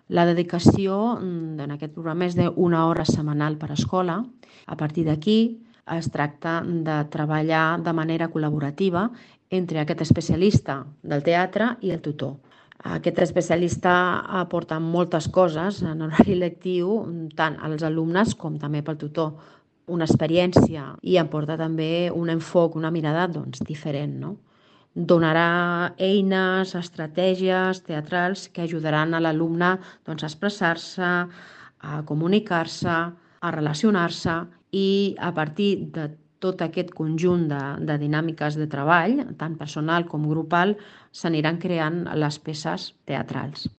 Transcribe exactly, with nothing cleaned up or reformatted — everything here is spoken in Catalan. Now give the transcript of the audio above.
La dedicació mm, en aquest programa és d'una hora setmanal per escola. A partir d'aquí es tracta de treballar de manera col·laborativa entre aquest especialista del teatre i el tutor. Aquest especialista aporta moltes coses en horari lectiu, tant als alumnes com també pel tutor. Una experiència i aporta també un enfoc, una mirada doncs, diferent, no? Donarà eines, estratègies teatrals que ajudaran a l'alumne doncs, a expressar-se, a comunicar-se, a relacionar-se i a partir de tot aquest conjunt de, de dinàmiques de treball, tant personal com grupal, s'aniran creant les peces teatrals.